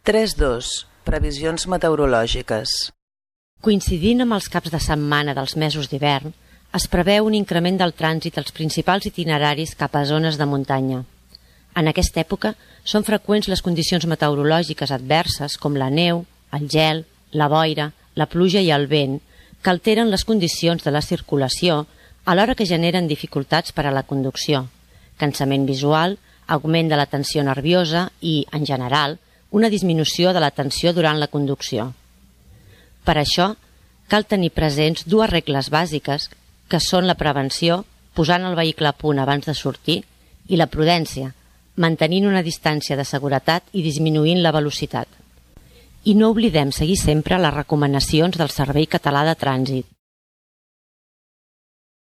3.2. Previsions meteorològiques. Coincidint amb els caps de setmana dels mesos d'hivern, es preveu un increment del trànsit als principals itineraris cap a zones de muntanya. En aquesta època són freqüents les condicions meteorològiques adverses com la neu, el gel, la boira, la pluja i el vent, que alteren les condicions de la circulació alhora que generen dificultats per a la conducció, cansament visual, augment de la tensió nerviosa i, en general, una disminució de la tensió durant la conducció. Per això, cal tenir presents dues regles bàsiques que són la prevenció, posant el vehicle a punt abans de sortir, i la prudència, mantenint una distància de seguretat i disminuint la velocitat. I no oblidem seguir sempre les recomanacions del Servei Català de Trànsit.